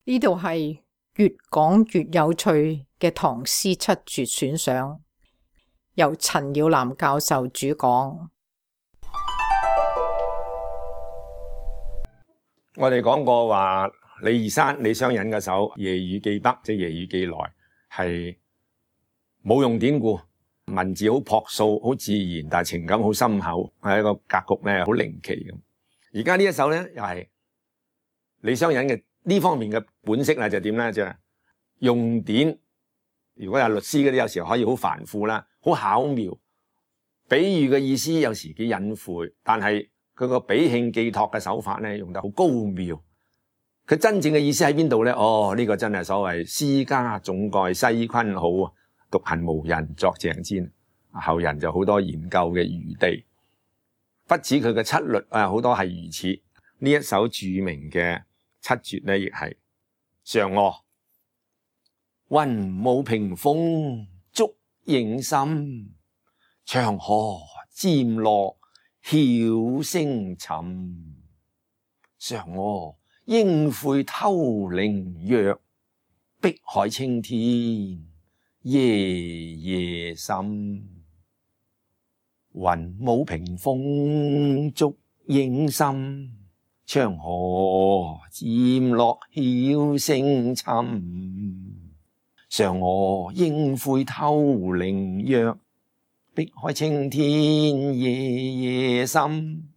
呢度係越講越有趣嘅唐詩七絕選賞，由陳耀南教授主講。我哋講過話李二山、李商隱嘅首《夜雨寄北》，即係《夜雨寄來》，係冇用典故，文字好樸素、好自然，但係情感好深厚，係一個格局咧好靈奇咁。而家呢一首咧又係李商隱嘅呢方面嘅本色啦，就點咧？就係用典。如果係律師嗰啲，有時候可以好繁複啦，好巧妙。比喻嘅意思有時幾隱晦，但係佢個比興寄託嘅手法咧，用得好高妙。佢真正嘅意思喺邊度咧？呢個真係所謂詩家總蓋西昆好啊，獨行無人作鄭煎。後人就好多研究嘅餘地。不止佢嘅七律啊，好多係如此。呢一首著名嘅七絕咧，亦係嫦娥。雲霧屏風燭影深，長河漸落曉星沉。嫦娥應悔偷靈藥，碧海青天夜夜深。雲霧屏風燭影深，長河漸落曉星沉。嫦娥應悔偷靈藥，碧海青天夜夜深。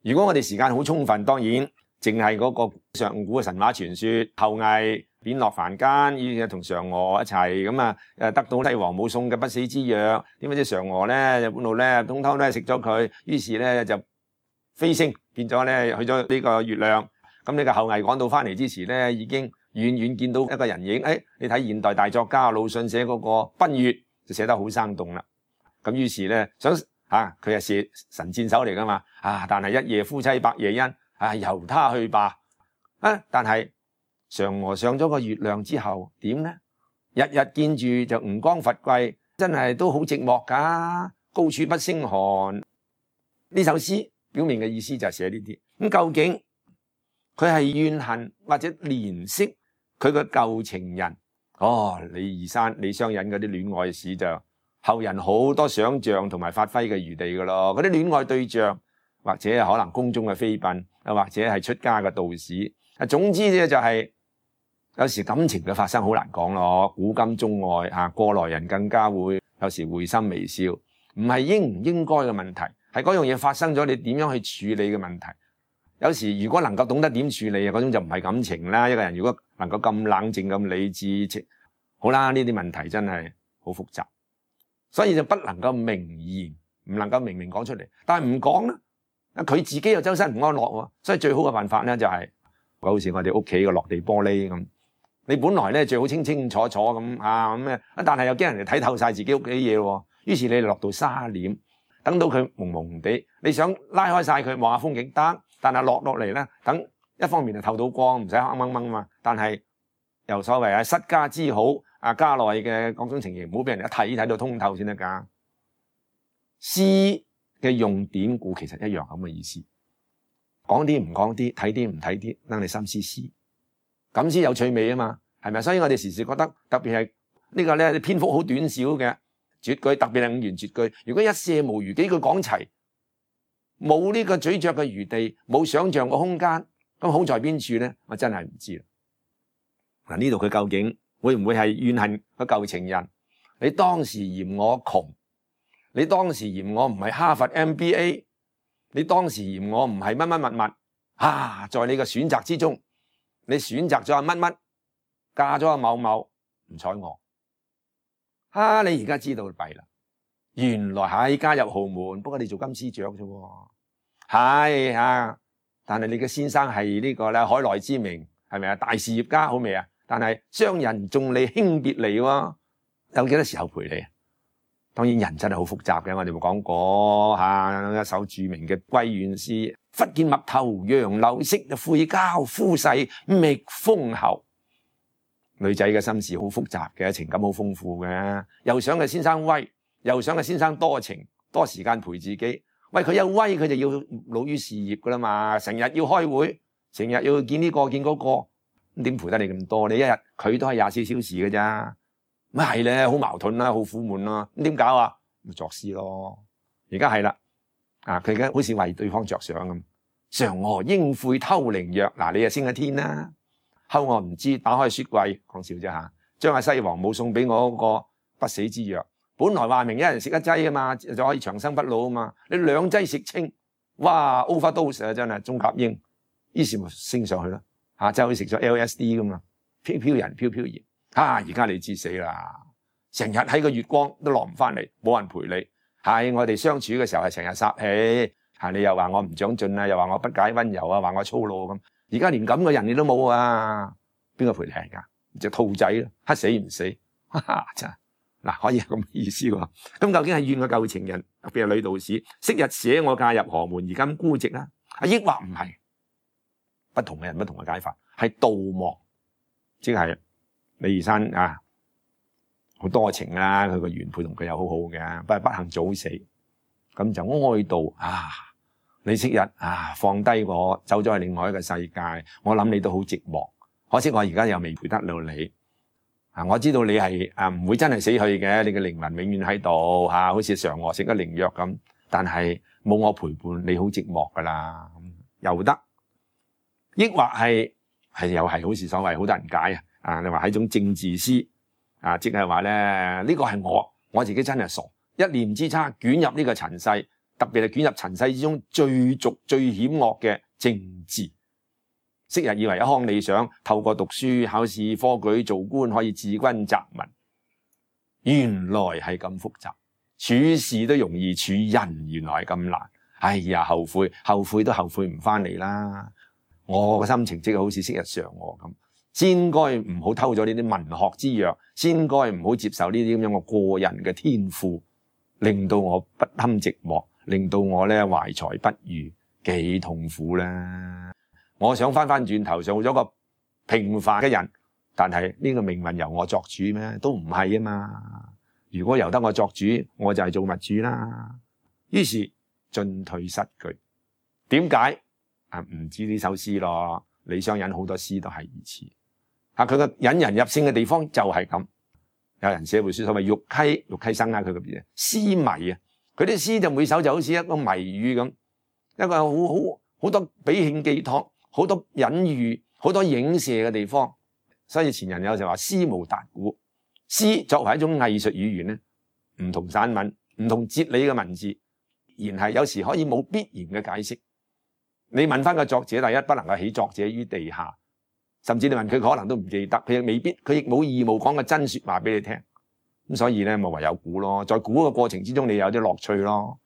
如果我哋時間好充分，當然淨係嗰個上古嘅神話傳說，后羿貶落凡間，於是同嫦娥一齊咁啊，得到帝王母送嘅不死之藥。點解知嫦娥咧就半路咧通偷咧食咗佢，於是咧就飛升變咗咧去咗呢個月亮。咁呢個后羿趕到翻嚟之時咧，已經遠遠見到一個人影。你睇現代大作家魯迅寫嗰個《奔月》就寫得好生動啦。咁於是咧想佢係射神箭手嚟噶嘛，但係一夜夫妻百夜恩，由他去吧。但係嫦娥上咗個月亮之後點呢？日日見住就吳剛伐桂，真係都好寂寞噶，高處不勝寒。呢首詩表面嘅意思就係寫呢啲。咁究竟佢係怨恨或者憐惜佢個舊情人？李二山、李商隱嗰啲戀愛史就後人好多想象同埋發揮嘅餘地噶咯。嗰啲戀愛對象或者係可能宮中嘅妃嬪，或者係出家嘅道士。總之咧就係有時感情嘅發生好難講咯。古今中外過來人更加會有時會心微笑。唔係應唔應該嘅問題，係嗰樣嘢發生咗，你點樣去處理嘅問題。有時如果能夠懂得點處理，嗰種就唔係感情啦。一個人如果能夠咁冷靜咁理智，好啦，呢啲問題真係好複雜，所以就不能夠明言，唔能夠明明講出嚟。但係唔講咧，佢自己又周身唔安樂喎。所以最好嘅辦法咧就係好似我哋屋企嘅落地玻璃咁，你本來咧最好清清楚楚咁咩，但係又驚人哋睇透晒自己屋企嘢喎。於是你落到沙簾，等到佢蒙蒙地，你想拉開晒佢望下風景得，但係落嚟咧，等一方面就透到光，唔使黑掹掹嘛。但係又所謂失家之好，家內嘅各種情形唔好俾人一睇到通透先得㗎。詩嘅用典故其實一樣咁嘅意思，講啲唔講啲，睇啲唔睇啲，等你心思思，咁先有趣味啊嘛，係咪？所以我哋時時覺得特別係呢個咧篇幅好短小嘅絕句，特別係五言絕句，如果一瀉無餘幾句講齊，冇呢個咀嚼嘅餘地，冇想象嘅空間，咁好在邊處咧？我真係唔知啦。嗱，呢度佢究竟會唔會係怨恨個舊情人？你當時嫌我窮，你當時嫌我唔係哈佛 MBA， 你當時嫌我唔係乜乜物物在你嘅選擇之中，你選擇咗乜乜，嫁咗某某，唔睬我。你而家知道弊啦，原來係加入豪門，不過你做金絲雀啫喎。但係你嘅先生係呢個咧海內知名，係咪啊？大事業家好未啊？但係雙人眾裏輕別離喎，有幾多時候陪你啊？當然人真係好複雜嘅，我哋冇講過一首著名嘅閨怨詩，忽見陌頭楊柳色，悔交夫婿覓封侯。女仔嘅心事好複雜嘅，情感好豐富嘅，又想個先生威，又想個先生多情，多時間陪自己。喂，佢有威，佢就要努於事業噶啦嘛，成日要開會，成日要見呢個見嗰個，咁點陪得你咁多？你一日佢都係24小時嘅咋，咪係咧，好矛盾啦，好苦悶啦。咁點搞啊？咪作詩咯。而家係啦，佢而家好似為對方着想咁。嫦娥應悔偷靈藥，嗱你就升咗天啦。後我唔知，打開雪櫃，講笑啫嚇，將阿西王母送俾我嗰個不死之藥。本來話明一人食一劑啊嘛，就可以長生不老啊嘛。你2劑食清，哇 overdose 啊真係中甲英，於是咪升上去咯嚇，就好似食咗 LSD 咁啊，飄飄然飄飄然而家你知死啦，成日喺個月光都落唔翻嚟，冇人陪你。係我哋相處嘅時候係成日撒氣你又話我唔長進啊，又話我不解溫柔啊，話我粗魯咁。而家連咁嘅人你都冇啊，邊個陪你㗎？隻兔仔咯，黑死唔死，真係嗱，可以係咁意思喎。咁究竟係怨個舊情人，特別係女道士，昔日捨我嫁入河門，而今孤寂啦，抑或唔係？不同嘅人不同嘅解法，係妒忘，即係李二山好多情啦，佢個原配同佢又好好嘅，不過不幸早死，咁就哀悼你昔日放低我，走咗去另外一個世界，我諗你都好寂寞，可惜我而家又未陪得到你。我知道你係唔會真係死去嘅，你嘅靈魂永遠喺度好似嫦娥食咗靈藥咁，但係冇我陪伴，你好寂寞噶啦，又得，抑或係又係好似所謂好多人解你話係一種政治詩即係話咧呢個係我自己真係傻，一念之差捲入呢個塵世。特別係捲入塵世之中最俗最險惡嘅政治，昔日以為一腔理想，透過讀書考試科舉做官可以治軍擇民，原來係咁複雜，處事都容易，處人原來係咁難。哎呀，後悔都後悔唔翻嚟啦！我個心情即係好似昔日嫦娥咁，先該唔好偷咗呢啲文學之藥，先該唔好接受呢啲咁樣嘅過人嘅天賦，令到我不堪寂寞。令到我咧懷才不遇，幾痛苦啦！我想翻轉頭做咗個平凡嘅人，但係呢個命運由我作主咩？都唔係啊嘛！如果由得我作主，我就係造物主啦。於是進退失據。點解唔知呢首詩咯？李商隱好多詩都係如此。佢個引人入勝嘅地方就係咁。有人寫本書所謂玉溪生佢個邊詩迷佢啲詩就每首就好似一個謎語咁，一個好多比興寄託，好多隱喻，好多影射嘅地方。所以前人有時話詩無達诂，詩作為一種藝術語言咧，唔同散文，唔同哲理嘅文字，然係有時可以冇必然嘅解釋。你問翻個作者，第一不能夠起作者於地下，甚至你問佢可能都唔記得，佢亦未必，佢亦冇義務講個真說話俾你聽。咁所以咧，咪唯有估咯。在估嘅過程之中，你有啲樂趣咯。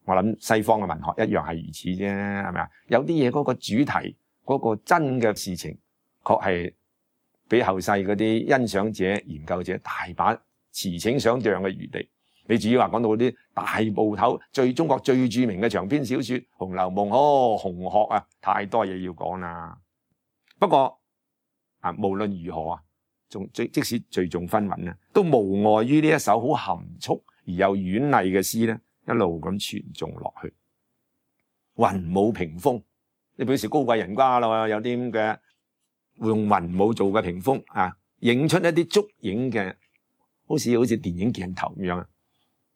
我諗西方嘅文學一樣係如此啫，係咪啊？有啲嘢嗰個主題，嗰個真嘅事情，確係俾後世嗰啲欣賞者、研究者大把馳騁想象嘅餘地。你至於話講到嗰啲大部頭、中國最著名嘅長篇小說《紅樓夢》，紅學太多嘢要講啦。不過無論如何即使聚眾紛紛都無礙於呢一首好含蓄而又婉麗嘅詩咧，一路咁傳頌落去。雲母屏風，你表示高貴人家啦，有啲咁嘅用雲母做嘅屏風影出一啲燭影嘅，好似電影鏡頭咁樣。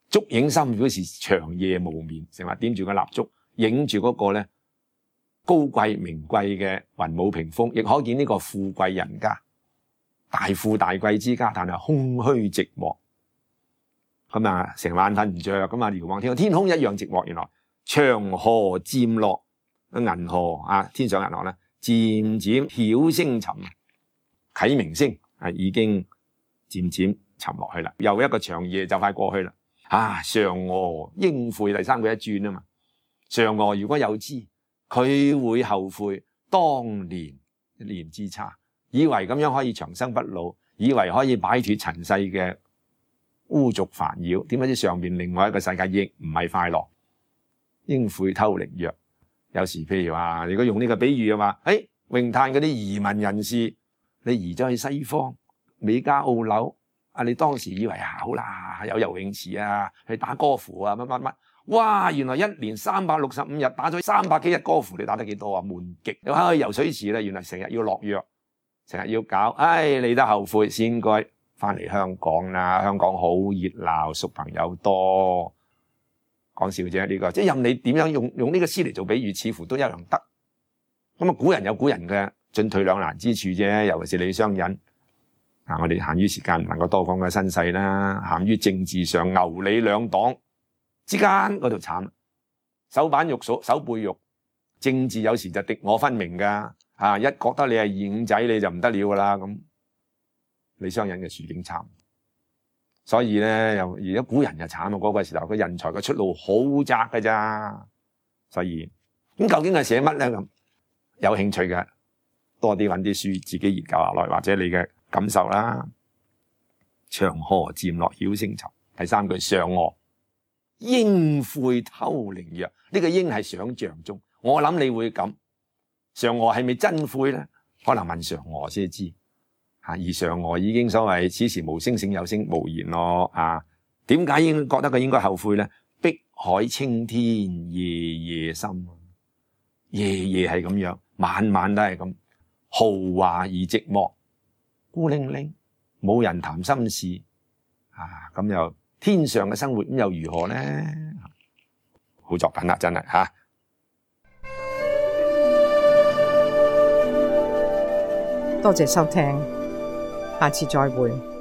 燭影深表示長夜無眠，成日點住個蠟燭，影住嗰個咧高貴名貴嘅雲母屏風，亦可見呢個富貴人家。大富大貴之家，但係空虛寂寞，咁成晚瞓唔着，咁遙望天空一樣寂寞。原來長河漸落，銀河天上銀河咧，漸漸曉聲沉，啟明聲已經漸漸沉落去啦。又一個長夜就快過去啦。嫦娥應悔，第三句一轉啊嘛。嫦娥如果有知，佢會後悔當年一念之差。以為咁樣可以長生不老，以為可以擺脫塵世嘅污濁煩擾，點解知上面另外一個世界亦唔係快樂？應悔偷靈藥，有時譬如話，如果用呢個比喻嘅話，詠嘆嗰啲移民人士，你移咗去西方美加澳紐，你當時以為好啦，有游泳池去打歌符乜乜乜，哇！原來一年365日打咗300幾日歌符，你打得幾多悶極？又去游水池啦，原來成日要落藥。成日要搞，你得後悔先該翻嚟香港啦。香港好熱鬧，熟朋友多。講笑啫，呢個即係任你點樣用呢個詩嚟做比喻，似乎都一樣得。咁啊，古人有古人嘅進退兩難之處啫，尤其是李商隱。我哋限於時間唔能夠多講嘅身世啦，限於政治上牛李兩黨之間嗰度慘，手板肉手背肉，政治有時就敵我分明噶，一覺得你係二五仔你就唔得了噶啦咁。李商隱嘅處境慘，所以咧又而家古人就慘啊！嗰個時候佢人才嘅出路好窄㗎咋，所以咁究竟係寫乜咧咁？有興趣嘅多啲揾啲書自己研究下來，或者你嘅感受啦。長河漸落曉星沉。第3句嫦娥應悔偷靈藥，呢個應係想象中，我諗你會咁。嫦娥係咪真悔咧？可能問嫦娥先知。而嫦娥已經所謂此時無聲勝有聲無言咯。點解應覺得佢應該後悔咧？碧海青天夜夜深，夜夜係咁樣，晚晚都係咁豪華而寂寞，孤零零，冇人談心事。咁又天上嘅生活咁又如何咧？好作品啦，真係吓。多謝收聽，下次再會。